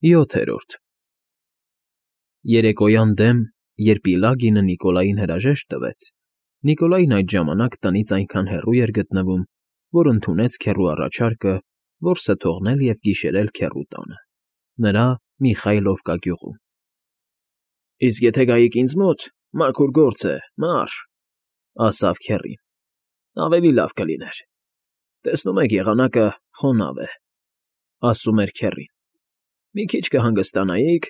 7-րդ Երեկոյան դեմ, երբ Իլագինը Նիկոլային հրաժեշտ տվեց, Նիկոլայն այդ ժամանակ տնից այնքան հեռու էր գտնվում, որ ընդունեց քեռու առաջարկը որսը թողնել և գիշերել քեռու տանը, նրա Միխայլովկա գյուղում։ ֊ Իսկ եթե գայիք ինձ մոտ, մաքուր գործ է, մարշ, ֊ ասավ քեռին, ֊ ավելի լավ կլիներ, տեսնում եք եղանակը խոնավ է, ֊ ասում էր քեռին, ֊ մի քիչ կհանգստանայիք,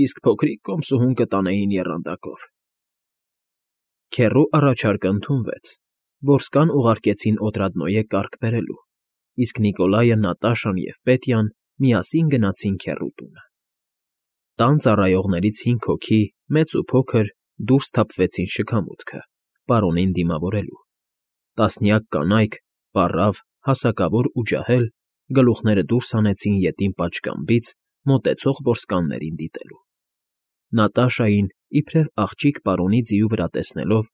իսկ փոքրիկ կոմսուհուն կտանեին եռանդակով։ Քեռու առաջարկը ընդունվեց, որսկան ուղարկեցին Օտրադնոյե կարգ բերելու, իսկ Նիկոլայը, Նատաշան և Պետյան միասին գնացին քեռու տունը։ Տան ծառայողներից 5 հոգի, մեծ ու փոքր, դուրս թափվեցին շքամուտքը, պարոնին դիմավորելու։ Տասնյակ կանայք, պառավ, հասակավոր ու ջահել, գլուխները դուրս հանեցին ետին պատշգամբից, մոտեցող որսկաններին դիտելու։ Նատաշային, իբրև աղջիկ պարոնի ձիու վրա տեսնելով,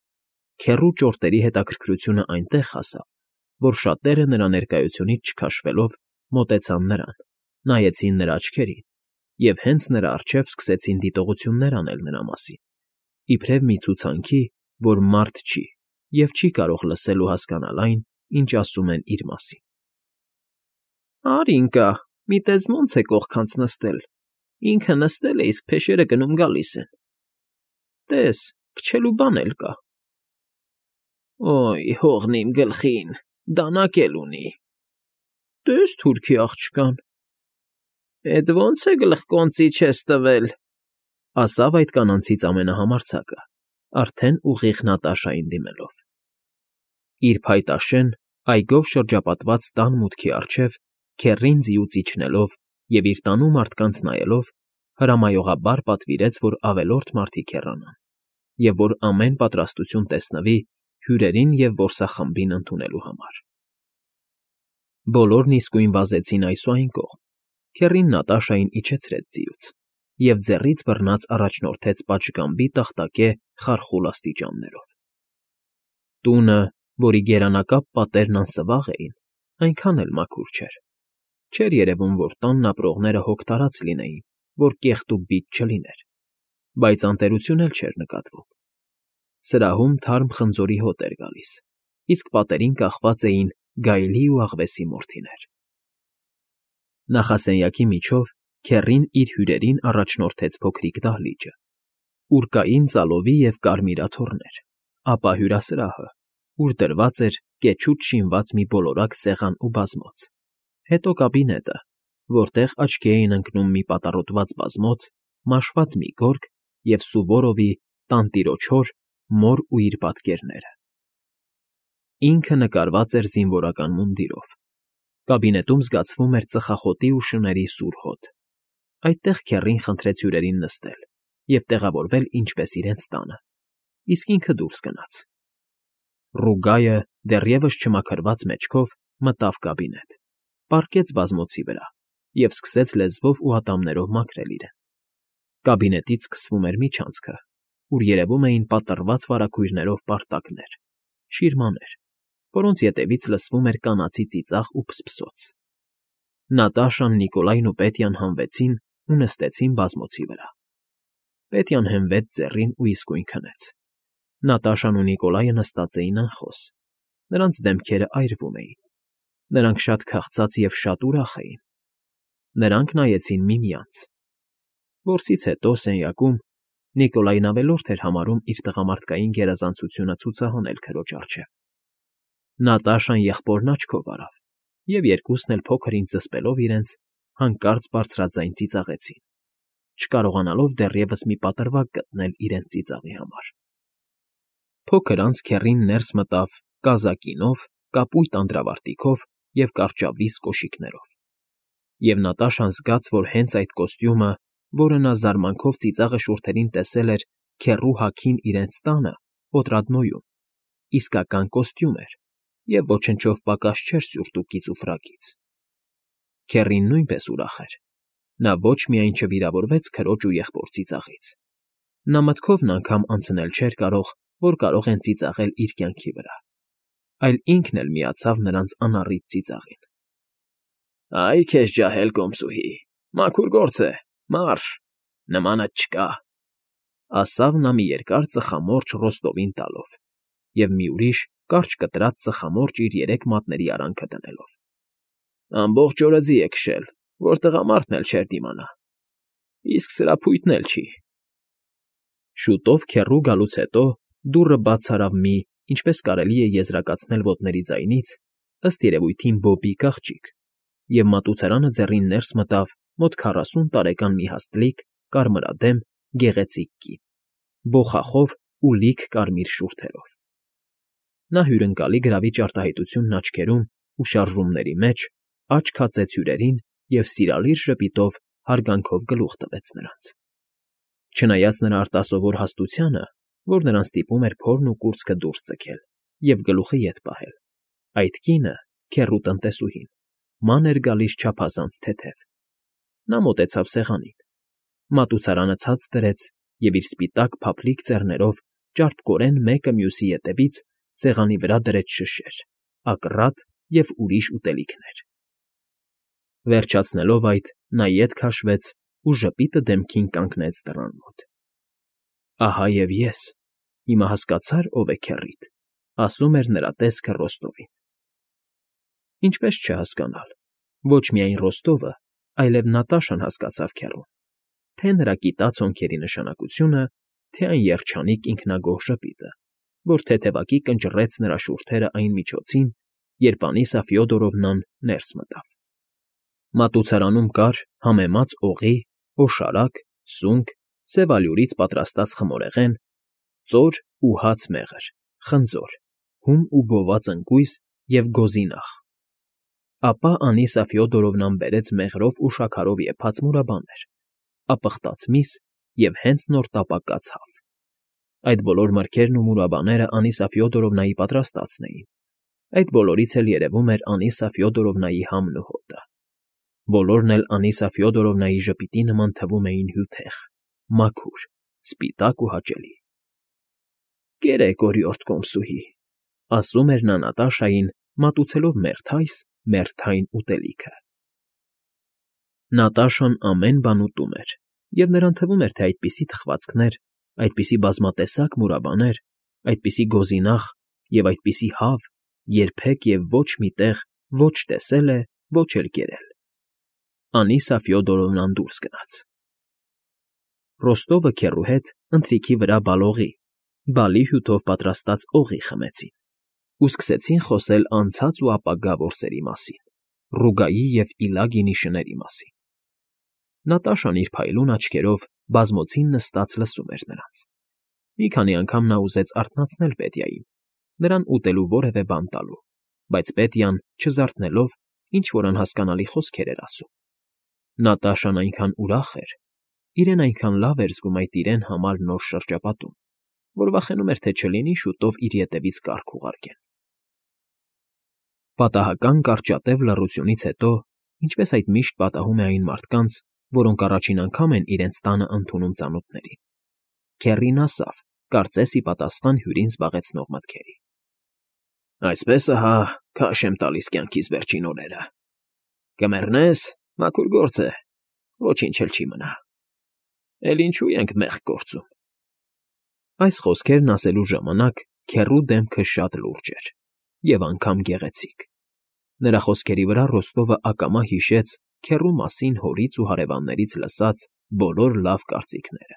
քեռու ճորտերի հետաքրքրությունը այնտեղ հասավ, որ շատերը նրա ներկայությունից չքաշվելով մոտեցան նրան, նայեցին նրա աչքերին և հենց նրա առջև սկսեցին դիտողություններ անել նրա մասին, իբրև մի ցուցանքի, որ մարդ չի և չի կարող լսել ու հասկանալ այն, ինչ ասում են իր մասին։ ֊ Արինկա, մի տես ոնց է կողքանց նստել, ինքը նստել է, իսկ փեշերը գնում֊գալիս են, տես, փչելու բան էլ կա։ ֊ Օյ, հողն իմ գլխին, դանակ էլ ունի։ ֊ Տես թուրքի աղջկան։ ֊ Էդ ո՞նց է գլխկոնծի չես տվել, ֊ ասավ այդ կանանցից ամենահամարձակը, արդեն ուղիղ Նատաշային դիմելով։ Իր փայտաշեն, այգով շրջապատված տան մուտքի առջև քեռին ձիուց իջնելով և իր տանու մարդկանց նայելով, հրամայողաբար պատվիրեց, որ ավելորդ մարդիկ հեռանան, և որ ամեն պատրաստություն տեսնվի հյուրերին և որսախմբին ընդունելու համար։ Բոլորն իսկույն վազեցին այս ու այն կողմ, քեռին Նատաշային իջեցրեց ձիուց և ձեռից բռնած առաջնորդեց պատշգամբի տախտակե խարխուլ աստիճաններով։ Տունը, որի գերանակապ պատերն անսվաղ էին, այնքան էլ մաքուր չէր։ Չէր երևում, որ տանն ապրողները հոգ տարած լինեին, որ կեղտ ու բիծ չլիներ, բայց անտերություն էլ չէր նկատվում։ Սրահում թարմ խնձորի հոտ էր գալիս, իսկ պատերին կախված էին գայլի ու աղվեսի մորթիներ։ Նախասենյակի միջով քեռին իր հյուրերին առաջնորդեց փոքրիկ դահլիճը, ուր կային ծալովի և կարմիր աթոռներ, ապա հյուրասրահը, ուր դրված էր կեչուց շինված մի բոլորակ սեղան ու բազմոց, հետո կաբինետը, որտեղ աչքի էին ընկնում մի պատառոտված բազմոց, մաշված մի գորգ և Սուվորովի «Տանտիրոջ հոր» մոր ու իր պատկերները։ Ինքը նկարված էր զինվորական մունդիրով։ Կաբինետում զգացվում էր ծխախոտի ու շների սուր հոտ։ Այդտեղ քեռին խնդրեց հյուրերին նստել և տեղավորվել ինչպես իրենց տանը, իսկ ինքը դուրս գնաց։ Ռուգայը, դեռևս չմաքրված մեջքով, մտավ կաբինետ, պառկեց բազմոցի վրա և սկսեց լեզվով ու ատամներով մաքրել իրեն։ Կաբինետից սկսվում էր միջանցքը, ուր երևում էին պատռված վարագույրներով պարտակներ, շիրմաներ, որոնց ետևից լսվում էր կանացի ծիծաղ ու փսփսոց։ Նատաշան, Նիկոլայն ու Պետյան հանվեցին ու նստեցին բազմոցի վրա։ Պետյան հենվեց ձեռին ու իսկույն քնեց։ Նատաշան ու Նիկոլայը նստած էին անխոս, նրանց դեմքերը այրվում էին, նրանք շատ քաղցած և շատ ուրախ էին։ Նրանք նայեցին միմյանց։ Որսից հետո սենյակում Նիկոլայն ավելորդ էր համարում իր տղամարդկային գերազանցությունը ցուցահանել քրոջ առջև։ Նատաշան եղբորն աչքով արավ, և երկուսն էլ փոքր֊ինչ զսպելով իրենց, հանկարծ բարձրաձայն ծիծաղեցին, չկարողանալով դեռևս մի պատրվակ գտնել իրենց ծիծաղի համար։ Փոքր անց քեռին ներս մտավ կազակինով, կապույտ անդրավարտիքով և կարճավիզ կոշիկներով։ Եվ Նատաշան զգաց, որ հենց այդ կոստյումը, որը նա զարմանքով ծիծաղը շուրթերին տեսել էր քեռու հագին իրենց տանը, Օտրադնոյում, իսկական կոստյում էր և ոչնչով պակաս չէր սյուրտուկից ու ֆրակից։ Քեռին նույնպես ուրախ էր։ Նա ոչ միայն չվիրավորվեց քրոջ ու եղբոր ծիծաղից, նա մտքովն անգամ անցնել չէր կարող, որ կարող են ծիծաղել իր կյանքի վրա, այլ ինքն էլ միացավ նրանց անառիթ ծիծաղին։ ֊ Այ քեզ ջահել կոմսուհի, Մաքուր գործ է, մարշ, նմանդ չկա, ասավ նա մի երկար ծխամորճ Ռոստովին տալով և մի ուրիշ կարճ կտրած ծխամորճ իր երեք մատների արանքը դնելով։ Ամբողջ օրը ձի է քշել, որ տղամարդն էլ չէր դիմանա, իսկ սրափույթն էլ չի։ Շուտով քեռու գալուց հետո դուռը բաց արավ մի, ինչպես կարելի է եզրակացնել ոտների ձայնից, ըստ երևույթին Բոբի աղջիկ, և մատուցարանը ձեռին ներս մտավ մոտ 40 տարեկան մի հաստլիկ, կարմրադեմ, գեղեցիկ կին, բոխախով ու լիք կարմիր շուրթերով։ Նա հյուրընկալի գրավիչ արտահայտությունն աչքերում ու շարժումների մեջ աչք հացեց հյուրերին և սիրալիր ժպիտով հարգանքով գլուխ տվեց նրանց։ Չնայած նրա արտասովոր հաստությանը, որ նրան ստիպում էր փորն ու կուրծքը դուրս ձգել և գլուխը ետ պահել, այդ կինը, քեռու տնտեսուհին, ման էր գալիս չափազանց թեթև։ Նա մոտեցավ սեղանին, մատուցարանը ցած դրեց և իր սպիտակ փափլիկ ձեռներով ճարպկորեն մեկը մյուսի ետևից սեղանի վրա դրեց շշեր, ակռատ և ուրիշ ուտելիքներ։ Վերջացնելով այդ, նա ետ քաշվեց ու ժպիտը դեմքին կանգնեց դռան մոտ։ «Ահա և ես, հիմա հասկացա՞ր, ով է քեռիդ», ասում էր նրա տեսքը Ռոստովին։ Ինչպես չհասկանալ, ոչ միայն Ռոստովը, այլև Նատաշան հասկացավ քեռուն, թե նրա կիտած հոնքերի նշանակությունը, թե այն երջանիկ ինքնագոհ ժպիտը, որ թեթևակի կնճռեց նրա շուրթերը այն միջոցին, երբ Անիսա Ֆյոդորովնան ներս մտավ։ Մատուցարանում կար համեմած օղի, օշարակ, սունկ, սև ալյուրից պատրաստած խմորեղեն, ծոր ու հաց մեղր, խնձոր, հում ու բոված ընկույզ և գոզինախ։ Ապա Անիսա Ֆյոդորովնան բերեց մեղրով ու շաքարով եփած մուրաբաներ, ապխտած միս և հենց նոր տապակած հավ։ Այդ բոլոր մրգերն ու մուրաբաները Անիսա Ֆյոդորովնայի պատրաստածն էին, այդ բոլորից էլ երևում էր Անիսա Ֆյոդորովնայի համն ու հոտը։ Բոլորն էլ Անիսա Ֆյոդորովնայի ժպիտի նման թվում էին հյութեղ, մաքուր, սպիտակ ու հաճելի։ «Կերեք, օրիորդ կոմսուհի», ասում էր նա Նատաշային, մատուցելով մերթային ուտելիքը։ Նատաշան ամեն բան ուտում էր, և նրան թվում էր, թե այդպիսի թխվածքներ, այդպիսի բազմատեսակ մուրաբաներ, այդպիսի գոզինախ և այդպիսի հավ երբեք և ոչ մի տեղ ոչ տեսել է, ոչ էլ կերել։ Անիսա Ֆյոդորովնան դուրս գնաց։ Ռոստովը քեռու հետ ընթրիքի վրա բալի հյութով պատրաստած օղի խմեցին ու սկսեցին խոսել անցած ու ապագա որսերի մասին, Ռուգայի և Իլագինի շների մասին։ Նատաշան իր փայլուն աչքերով բազմոցին նստած լսում էր նրանց։ Մի քանի անգամ նա ուզեց արթնացնել Պետիային, նրան ուտելու որևէ բան տալու, բայց Պետյան, չզարթնելով, ինչ֊որ անհասկանալի խոսքեր էր ասում։ Նատաշան այնքան ուրախ էր, իրեն այնքան լավ էր զգում այդ իրեն համար նոր շրջապատում, որ վախենում էր, թե չլինի շուտով իր ետևից կառք ուղարկեն։ Պատահական կարճատև լռությունից հետո, ինչպես այդ միշտ պատահում է այն մարդկանց, որոնք առաջին անգամ են իրենց տանը ընդունում ծանոթներին, քեռին ասավ, կարծես ի պատասխան հյուրին զբաղեցնող մտքերի. «Այսպես ահա քաշ եմ տալիս կյանքիս վերջին օրերը։ Կմեռնես, մաքուր գործ է, ոչինչ էլ չի մնա։ Էլ ինչու ենք մեղք գործում»։ Այս խոսքերն ասելու ժամանակ քեռու դեմքը շատ լուրջ էր և անգամ գեղեցիկ։ Նրա խոսքերի վրա Ռոստովը ակամա հիշեց քեռու մասին հորից ու հարևաններից լսած բոլոր լավ կարծիքները։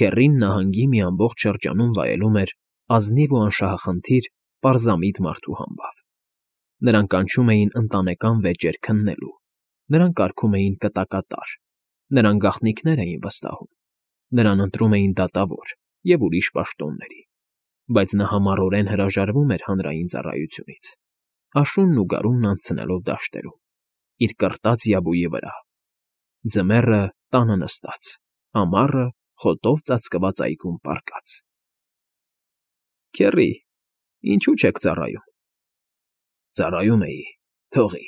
Քեռին նահանգի մի ամբողջ շրջանում վայելում էր ազնիվ ու անշահախնդիր պարզամիտ մարդու համբավ։ Նրան կանչում էին ընտանեկան վեճեր քննելու, նրան կարգում էին կտակատար, նրան գաղտնիքներ էին վստահում, նրան ընտրում էին դատավոր և ուրիշ պաշտոնների, բայց նա համառորեն հրաժարվում էր հանրային ծառայությունից, աշունն ու գարունն անցնելով դաշտերում, իր կռտած յաբուի վրա, ձմեռը տանը նստած, ամառը խոտով ծածկված այգում պառկած։ «Քեռի, ինչու չեք ծառայում»։ «Ծառայում էի, թողի։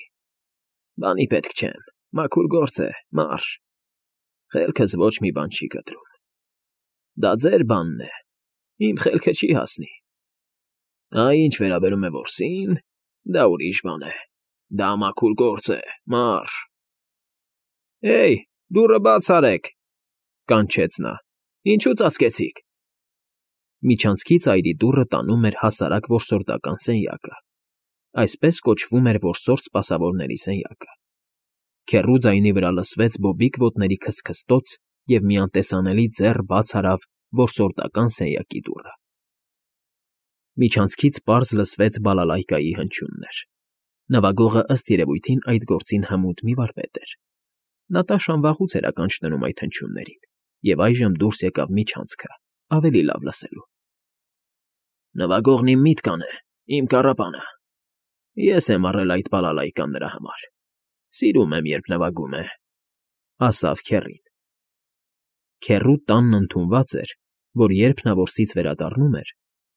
Բանի պետք չեմ, մաքուր գործ է, մարշ։ Խելքս ոչ մի բան չի կտրում։ Դա ձեր բանն է, իմ խելքը չի հասնի։ Ինչ վերաբերում է որսին, դա ուրիշ բան է, դա մաքուր գործ է, մարշ»։ Էյ, դուռը բաց արեք,֊ կանչեց նա։ Ինչու ծածկեցիք։ Միջանցքից այրի դուռը տանում էր հասարակ որսորդական սենյակը, այսպես կոչվում էր որսորդ սպասավորների սենյակը։ Քեռու ձայնի վրա լսվեց բոբիկ ոտների քստքստոց և մի անտեսանելի ձեռ բաց արավ որսորդական սենյակի դուռը։ Միջանցքից պարզ լսվեց բալալայկայի հնչյուններ։ Նվագողը ըստ երևույթին այդ գործին հմուտ մի վարպետ էր։ Նատաշան վաղուց էր ականջ դնում այդ հնչյուններին, և այժմ դուրս եկավ միջանցքը, ավելի լավ լսելու։ Նվագողն իմ միտքան է, իմ կառապանը։ Ես եմ առել այդ բալալայկան նրա համար։ Սիրում եմ, երբ նվագում է,֊ ասավ քեռին։ Քեռու տանն ընդունված էր, որ երբ նա որսից վերադառնում էր,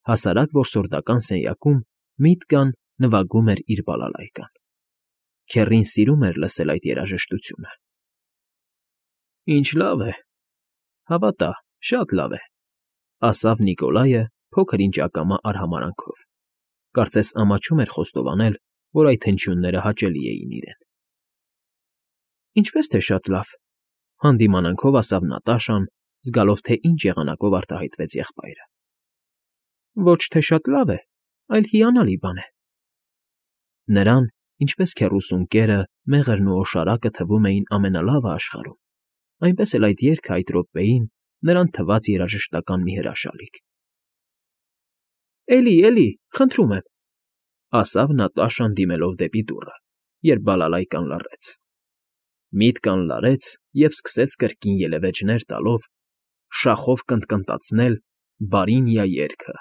հասարակ որսորդական սենյակում միտքան նվագում էր իր բալալայկան։ Քեռին սիրում էր լսել այդ երաժշտությունը։ Ինչ լավ է։ Հավատա, շատ լավ է,֊ ասավ Նիկոլայը փոքր-ինչ ակամա արհամարհանքով։ Կարծես ամաչում էր խոստովանել, որ այդ հնչյունները հաճելի էին իրեն։ Ինչպես թե շատ լավ,֊ հանդիմանանքով ասավ Նատաշան, զգալով, թե ինչ եղանակով արտահայտվեց եղբայրը։ Ոչ թե շատ լավ է, այլ հիանալի բան է։ Նրան, ինչպես քեռուս ունկերը, մեղրն ու օշարակը թվում էին ամենալավը աշխարհում, այնպես էլ այդ երգը այդ րոպեին նրան թվաց երաժշտական մի հրաշալիք։ Էլի, խնդրում եմ,֊ ասավ Նատաշան դիմելով դեպի դուռը, երբ բալալայկան լռեց։ Միտքան լարեց և սկսեց կրկին ելևէջներ տալով, շախով կնտկնտացնել «Բարինյա» երգը։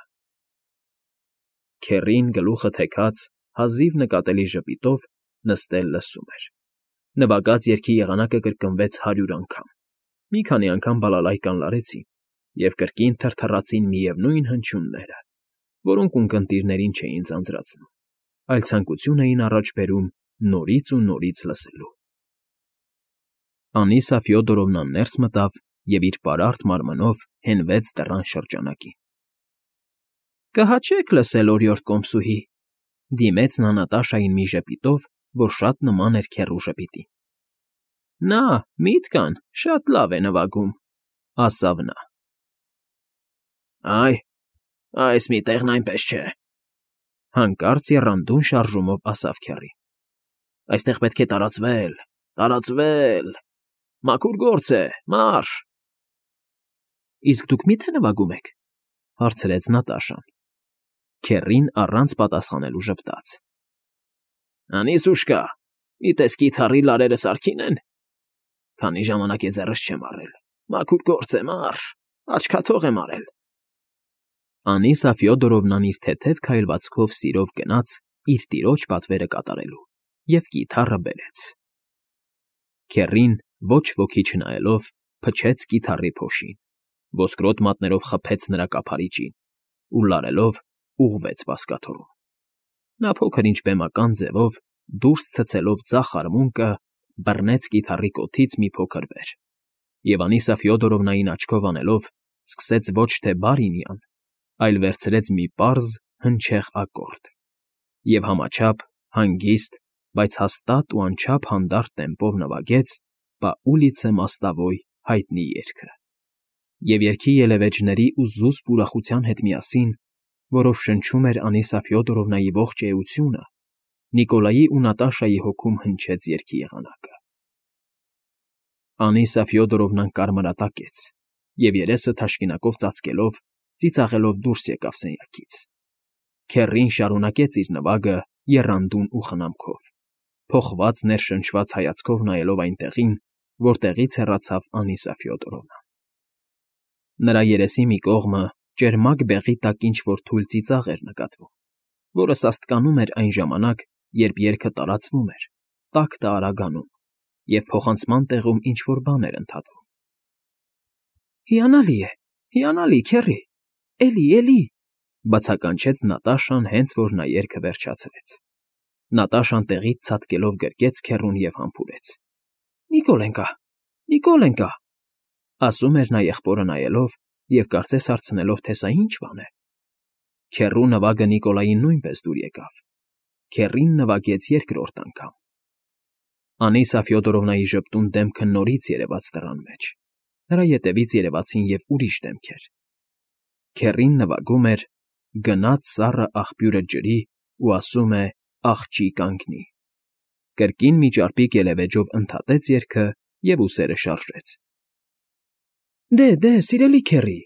Քեռին գլուխը թեքած, հազիվ նկատելի ժպիտով նստել լսում էր։ Նվագած երգի եղանակը կրկնվեց 100 անգամ։ Մի քանի անգամ բալալայկան լարեցին, և կրկին թրթռացին միևնույն հնչյունները, որոնք ունկնդիրներին չէին ձանձրացնում, այլ ցանկություն էին առաջ բերում նորից ու նորից լսելու։ Անիսա Ֆյոդորովնան ներս մտավ և իր պարարտ մարմնով հենվեց դռան շրջանակին։ Կհաճեք լսել օրիորդ կոմսուհի,֊ դիմեց նա Նատաշային մի ժպիտով, որ շատ նման էր քեռու ժպիտին։ Նա, Միտքան, շատ լավ է նվագում,֊ ասավ նա։ Այս մի տեղն այնպես չէ,֊ հանկարծ եռանդուն շարժումով ասավ քեռին։ Այստեղ պետք է տարածվել, մաքուր գործ է, մարշ։ Իսկ դուք մի՞թե նվագում եք,֊ հարցրեց Նատաշան։ Քեռին առանց պատասխանելու ժպտաց։ Անիսուշկա, գիտես կիթառի լարերը սարքին են։ Քանի ժամանակ է ձեռս չեմ առել, մաքուր գործ է, մարշ, աչքաթող եմ արել։ Անիսա Ֆյոդորովնան իր թեթև քայլվածքով սիրով գնաց իր տիրոջ պատվերը կատարելու և կիթառը բերեց։ Քեռին, ոչ ոքի չնայելով, փչեց կիթառի փոշին, ոսկրոտ մատներով խփեց նրա կափարիչին ու լարելով ուղղվեց բազկաթոռում։ Նա փոքր-ինչ բեմական ձևով, դուրս ցցելով ձախ արմունկը, բռնեց կիթառի կոթից մի փոքր վեր, և Անիսա Ֆյոդորովնային աչքով անելով, սկսեց ոչ թե բարինյան, այլ վերցրեց մի պարզ, հնչեղ ակորդ և համաչափ, հանգիստ, բայց հաստատ ու անչափ հանդարտ տեմպով նվագեց «Պա ուլիցե Մոստովոյ» հայտնի երգը։ Եվ երգի ելևէջների ու զուսպ ուրախության հետ միասին, որով շնչում էր Անիսա Ֆյոդորովնայի ողջ էությունը, Նիկոլայի ու Նատաշայի հոգում հնչեց երգի եղանակը։ Անիսա Ֆյոդորովնան կարմրատակեց և երեսը թաշկինակով ծածկելով, ծիծաղելով դուրս եկավ սենյակից։ Քեռին շարունակեց իր նվագը եռանդուն ու խնամքով, փոխված ներշնչված հայացքով նայելով այնտեղին, որտեղից հեռացավ Անիսա Ֆյոդորովնան։ Նրա երեսի մի կողմը ճերմակ բեղի տակ ինչ֊որ թույլ ծիծաղ էր նկատվում, որը սաստկանում էր այն ժամանակ, երբ երգը տարածվում էր, տակտը արագանում, և փոխանցման տեղում ինչ֊որ բան էր ընդհատվում։ Հիանալի, քեռի, էլի,֊ բացականչեց Նատաշան, հենց որ նա երգը վերջացրեց։ Նատաշան տեղից ցատկելով գրկեց քեռուն և համբուրեց։ Նիկոլենկա,֊ ասում էր նա եղբորը նայելով և կարծես հարցնելով, թե սա ինչ բան է։ Քեռու նվագը Նիկոլային նույնպես դուր եկավ։ Քեռին նվագեց երկրորդ անգամ։ Անիսա Ֆյոդորովնայի ժպտուն դեմքը նորից երևաց դռան մեջ։ Նրա ետևից երևացին և ուրիշ դեմքեր։ Քեռին նվագում էր «Գնաց սառը աղբյուրը ջրի» ու ասում է «աղջի կանգնի»։ Կրկին մի ճարպիկ ելևէջով ընդհատեց երգը և ուսերը շարժեց։ Դե, սիրելի քեռի,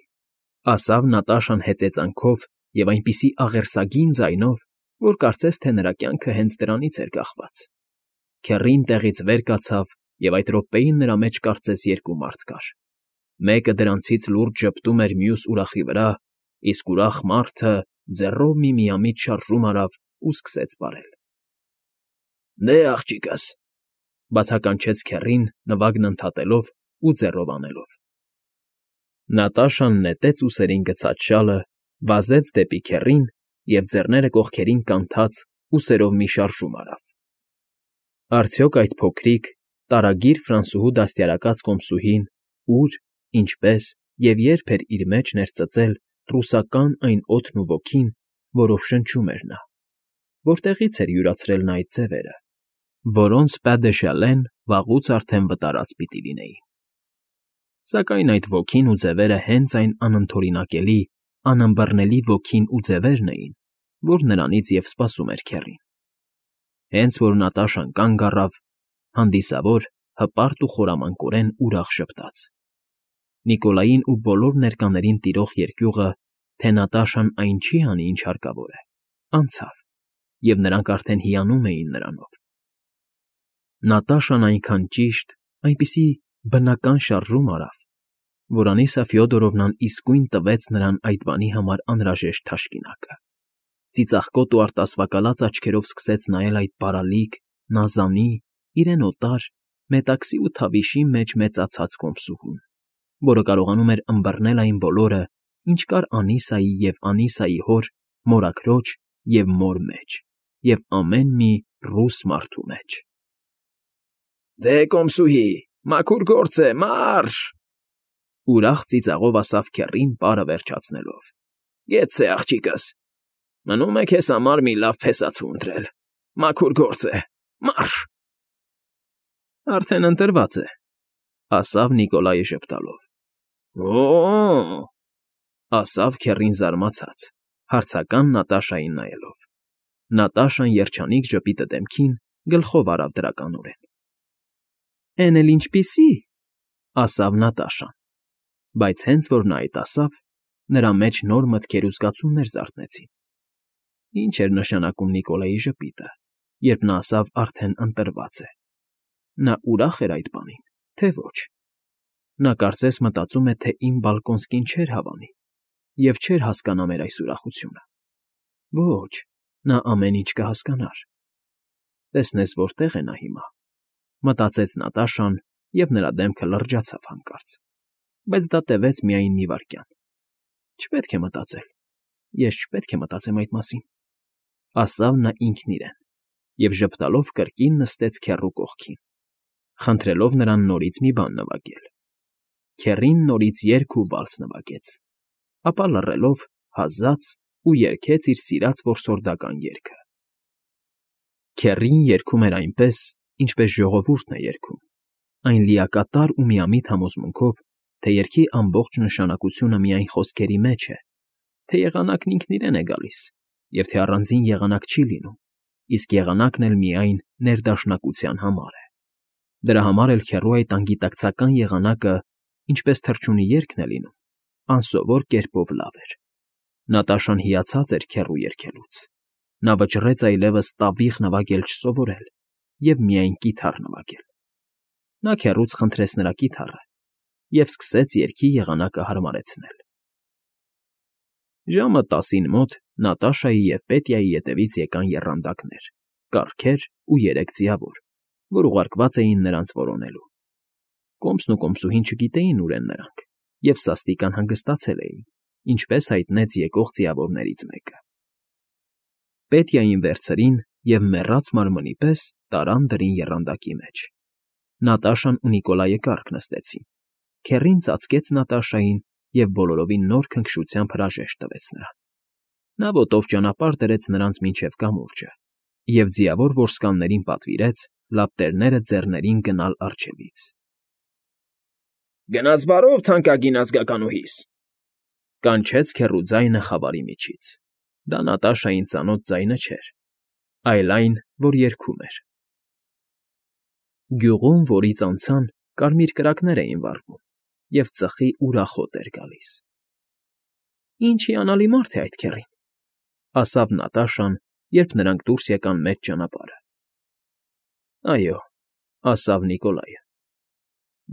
ասավ Նատաշան հեծեծանքով և այնպիսի աղերսագին ձայնով, որ կարծես թե նրա կյանքը հենց դրանից էր կախված։ Քեռին տեղից վեր կացավ, և այդ րոպեին նրա մեջ կարծես երկու մարդ կար։ Մեկը դրանցից լուրջ ժպտում էր մյուս ուրախի վրա, իսկ ուրախ մարդը ձեռով մի միամիտ շարժում արավ ու սկսեց պարել։ Դե, աղջիկս, բացականչեց քեռին, նվագն ընդհատելով ու ձեռով անելով։ Նատաշան նետեց ուսերին գցած շալը, վազեց դեպի քեռին և ձեռները կողքերին կանթած ուսերով մի շարժում արավ։ Արդյոք այդ փոքրիկ, տարագիր ֆրանսուհու դաստիարակած կոմսուհին ուր, ինչպես և երբ էր իր մեջ ներծծել ռուսական այն օդն ու ոգին, որով շնչում էր նա, որտեղի՞ց էր յուրացրել նա այդ ձևերը, որոնց Պա դե Շալեն վաղուց արդեն վտարած պիտի լինեին։ Սակայն այդ ոգին ու ձևերը հենց այն անընդօրինակելի, անըմբռնելի ոգին ու ձևերն էին, որ նրանից և սպասում էր քեռին։ Հենց որ Նատաշան կանգ առավ, հանդիսավոր, հպարտ ու խորամանկորեն ուրախ ժպտաց։ Նիկոլային ու բոլոր ներկաներին տիրող երկյուղը, թե Նատաշան այն չի անի, ինչ հարկավոր է, անցավ, և նրանք արդեն հիանում էին նրանով։ Նատաշան այնքան ճիշտ, այնպիսի բնական շարժում արավ, որ Անիսա Ֆյոդորովնան իսկույն տվեց նրան այդ բանի համար անհրաժեշտ թաշկինակը։ Ծիծաղկոտ ու արտասվակալած աչքերով սկսեց նայել այդ բարալիկ, նազանի, իրեն օտար, մետաքսի ու թավիշի մեջ մեծացած կոմսուհուն, որը կարողանում էր ըմբռնել այն բոլորը, ինչ կար Անիսայի և Անիսայի հոր, մորաքրոջ և մոր մեջ, և ամեն մի ռուս մարդու մեջ։ Դե, կոմսուհի, մաքուր գործ է, մարշ, ուրախ ծիծաղով ասավ քեռին պարը վերջացնելով։ Գեցե, աղջիկս, մնում է քեզ համար մի լավ փեսացու ընտրել, մաքուր գործ է, մարշ։ Արդեն ընտրված է, ասավ Նիկոլայը ժպտալով։ Օ՜օ, ասավ քեռին զարմացած, հարցական Նատաշային նայելով։ Նատաշան երջանիկ ժպիտը դեմքին գլխով արավ դրականորեն։ Էն էլ ինչպիսի, ասավ Նատաշան, բայց հենց որ նա այդ ասավ, նրա մեջ նոր մտքեր ու զգացումներ զարթնեցին։ Ինչ էր նշանակում Նիկոլայի ժպիտը, երբ նա ասավ արդեն ընտրված է։ Նա ուրախ էր այդ բանին, թե ոչ։ Նա կարծես մտածում է, թե իմ Բալկոնսկին չէր հավանի և չէր հասկանա մեր այս ուրախությունը։ Ոչ, նա ամեն ինչ կհասկանար։ Տեսնես որտեղ է նա հիմա, մտածեց Նատաշան, և նրա դեմքը լրջացավ հանկարծ։ Բայց դա տևեց միայն մի վայրկյան։ Չպետք է մտածել, ես չպետք է մտածեմ այդ մասին, ասավ նա ինքն իրեն, և ժպտալով կրկին նստեց քեռու կողքին, խնդրելով նրան նորից մի բան նվագել։ Քեռին նորից երգ ու վալս նվագեց, ապա լռելով հազաց ու երգեց իր սիրած որսորդական երգը։ Քեռին երգում էր այնպես, ինչպես ժողովուրդն է երգում, այն լիակատար ու միամիտ համոզմունքով, թե երգի ամբողջ նշանակությունը միայն խոսքերի մեջ է, թե եղանակն ինքն իրեն է գալիս, և թե առանձին եղանակ չի լինում, իսկ եղանակն էլ միայն ներդաշնակության համար է։ Դրա համար էլ քեռու այդ անգիտակցական եղանակը, ինչպես թռչունի երգն է լինում, անսովոր կերպով լավ էր։ Նատաշան հիացած էր քեռու երգելուց։ Նա վճռեց այլևս տավիղ նվագել չսովորել և միայն կիթառ նվագել։ Նա քեռուց խնդրեց նրա կիթառը և սկսեց երգի եղանակը հարմարեցնել։ Ժամը 10-ին մոտ Նատաշայի և Պետյայի ետևից եկան եռանդակներ, կառքեր ու 3 ձիավոր, որ ուղարկված էին նրանց որոնելու։ Կոմսն ու կոմսուհին չգիտեին ուր են նրանք և սաստիկ անհանգստացել էին, ինչպես հայտնեց եկող ձիավորներից մեկը։ Պետյային վերցրին և մեռած մարմնի պես տարան դրին եռանդակի մեջ։ Նատաշան ու Նիկոլայը կառք նստեցին։ Քեռին ծածկեց Նատաշային և բոլորովին նոր քնքշությամբ հրաժեշտ տվեց նրան։ Նա ոտով ճանապարհ դրեց նրանց մինչև կամուրջը և ձիավոր որսկաններին պատվիրեց, լապտերները ձեռներին գնալ առջևից։ Գնաս բարով, թանկագին ազգականուհիս, Կանչեց քեռու ձայնը խավարի միջից։ Դա Նատաշային ծանոթ ձայնը չէր, այլ այն, որ երգում էր։ Գյուղում, որից անցան, կարմիր կրակներ էին վառվում, և ծխի ուրախոտ էր գալիս։ Ինչ հիանալի մարդ է այդ քեռին, ասավ Նատաշան, երբ նրանք դուրս եկան մեծ ճանապարհը։ Այո, ասավ Նիկոլայը։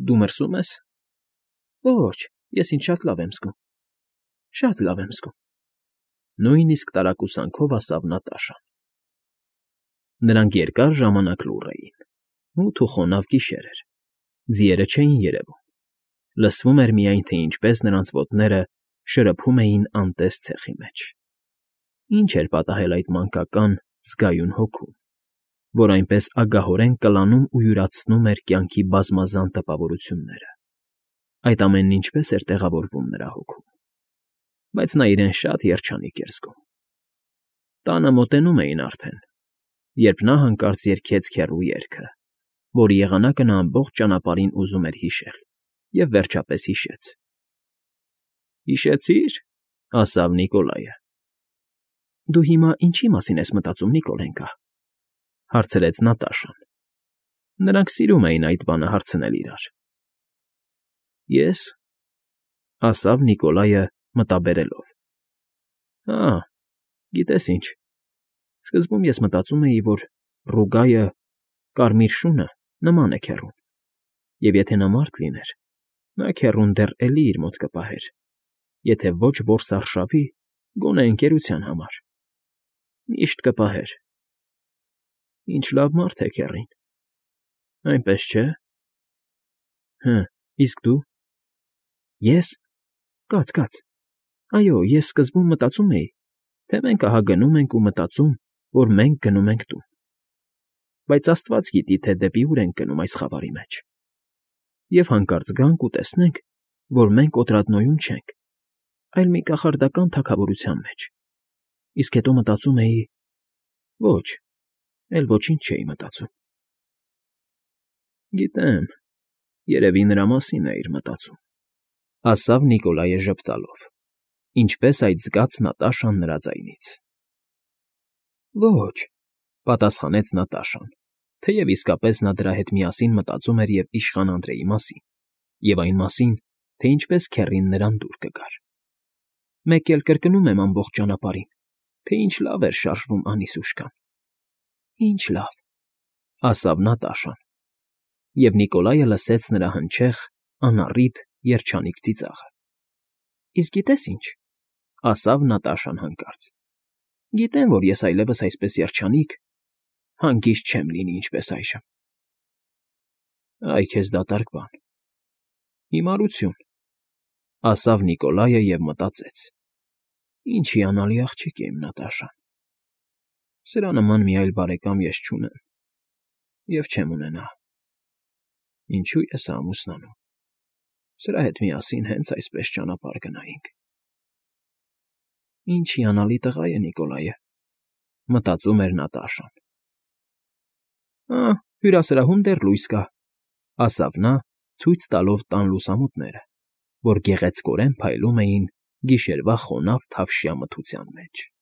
Դու մրսում ես։ Ոչ, ես ինձ շատ լավ եմ զգում։ Շատ լավ եմ զգում։ Նույնիսկ տարակուսանքով ասավ Նատաշան։ Նրանք երկար ժամանակ լուռ էին։ Մութ ու խոնավ գիշեր էր։ Ձիերը չէին երևում։ Լսվում էր միայն, թե ինչպես նրանց ոտները շրփում էին անտես ցեխի մեջ։ Ինչ էր պատահել այդ մանկական, զգայուն հոգուն, որ այնպես ագահորեն կլանում ու յուրացնում էր կյանքի բազմազան տպավորությունները։ Այդ ամենն ինչպես էր տեղավորվում նրա հոգում։ Բայց նա իրեն շատ երջանիկ էր զգում։ Տանը մոտենում էին արդեն, երբ նա հանկարծ երգեց քեռու երգը, որի եղանակը նա ամբողջ ճանապարհին ուզում էր հիշել, և վերջապես հիշեց։ Հիշեցի՞ր, ասավ Նիկոլայը։ Դու հիմա ինչի մասին ես մտածում, Նիկոլենկա, հարցրեց Նատաշան։ Նրանք սիրում էին այդ բանը հարցնել իրար։ Ես, ասավ Նիկոլայը մտաբերելով։ Հա, գիտես ինչ, սկզբում ես մտածում էի, որ Ռուգայը, կարմիր շունը, նման է քեռուն, և եթե նա մարդ լիներ, նա քեռուն դեռ էլի իր մոտ կպահեր, եթե ոչ որսարշավի, գոնե ընկերության համար։ Միշտ կպահեր։ Ինչ լավ մարդ է քեռին։ Այնպես չէ՞։ Հը, իսկ դու։ Ես։ Կաց։ Այո, ես սկզբում մտածում էի, թե մենք ահա գնում ենք ու մտածում, որ մենք գնում ենք տուն։ Բայց աստված գիտի, թե դեպի ուր ենք գնում այս խավարի մեջ։ Եվ հանկարծ գանք ու տեսնենք, որ մենք Օտրադնոյում չենք, այլ մի կախարդական թագավորության մեջ։ Իսկ հետո մտածում էի. ոչ, էլ ոչինչ չէի մտածում։ Գիտեմ, երևի նրա մասին էիր մտածում, ասավ Նիկոլայը ժպտալով, ինչպես այդ զգաց Նատաշան նրա ձայնից։ Ոչ, պատասխանեց Նատաշան, թեև իսկապես նա դրա հետ միասին մտածում էր և իշխան Անդրեի մասին, և այն մասին, թե ինչպես քեռին նրան դուր կգար։ Մեկ էլ կրկնում եմ ամբողջ ճանապարհին, թե ինչ լավ էր շարժվում Անիսուշկան։ Ինչ լավ, ասավ Նատաշան, և Նիկոլայը լսեց նրա հնչեղ, անառիթ, երջանիկ ծիծաղը։ Իսկ գիտես ինչ, ասավ Նատաշան հանկարծ։ Գիտեմ, որ ես այլևս այսպես երջանիկ, հանգիստ չեմ լինի, ինչպես այժմ։ Այ քեզ դատարկ բան։ Հիմարություն, ասավ Նիկոլայը և մտածեց. ինչ հիանալի աղջիկ է իմ Նատաշան։ Սրա նման մի այլ բարեկամ ես չունեմ և չեմ ունենա։ Ինչո՞ւ ես ամուսնանում։ Սրա հետ միասին հենց այսպես ճանապարհ գնայինք։ Ինչ հիանալի տղա է Նիկոլայը, մտածում էր Նատաշան։ Հյուրասրահում դեռ լույս կա, ասավ նա, ցույց տալով տան լուսամուտները, որ գեղեցկորեն փայլում էին գիշերվա խոնավ թավշյա մթության մեջ։